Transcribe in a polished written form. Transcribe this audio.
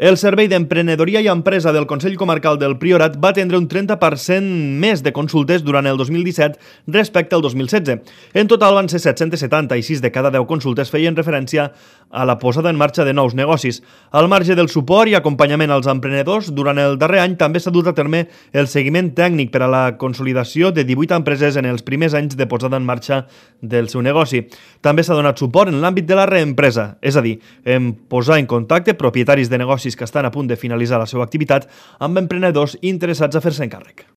El Servei d'Emprenedoria i Empresa del Consell Comarcal del Priorat va atendre un 30% més de consultes durant el 2017 respecte al 2016. En total van ser 770 i 6 de cada 10 consultes feien referència a la posada en marxa de nous negocis. Al marge del suport i acompanyament als emprenedors, durant el darrer any també s'ha dut a terme el seguiment tècnic per a la consolidació de 18 empreses en els primers anys de posada en marxa del seu negoci. També s'ha donat suport en l'àmbit de la reempresa, és a dir, en posar en contacte propietaris de negocis que estan a punt de finalitzar la seva activitat amb emprenedors interessats a fer-se encàrrec.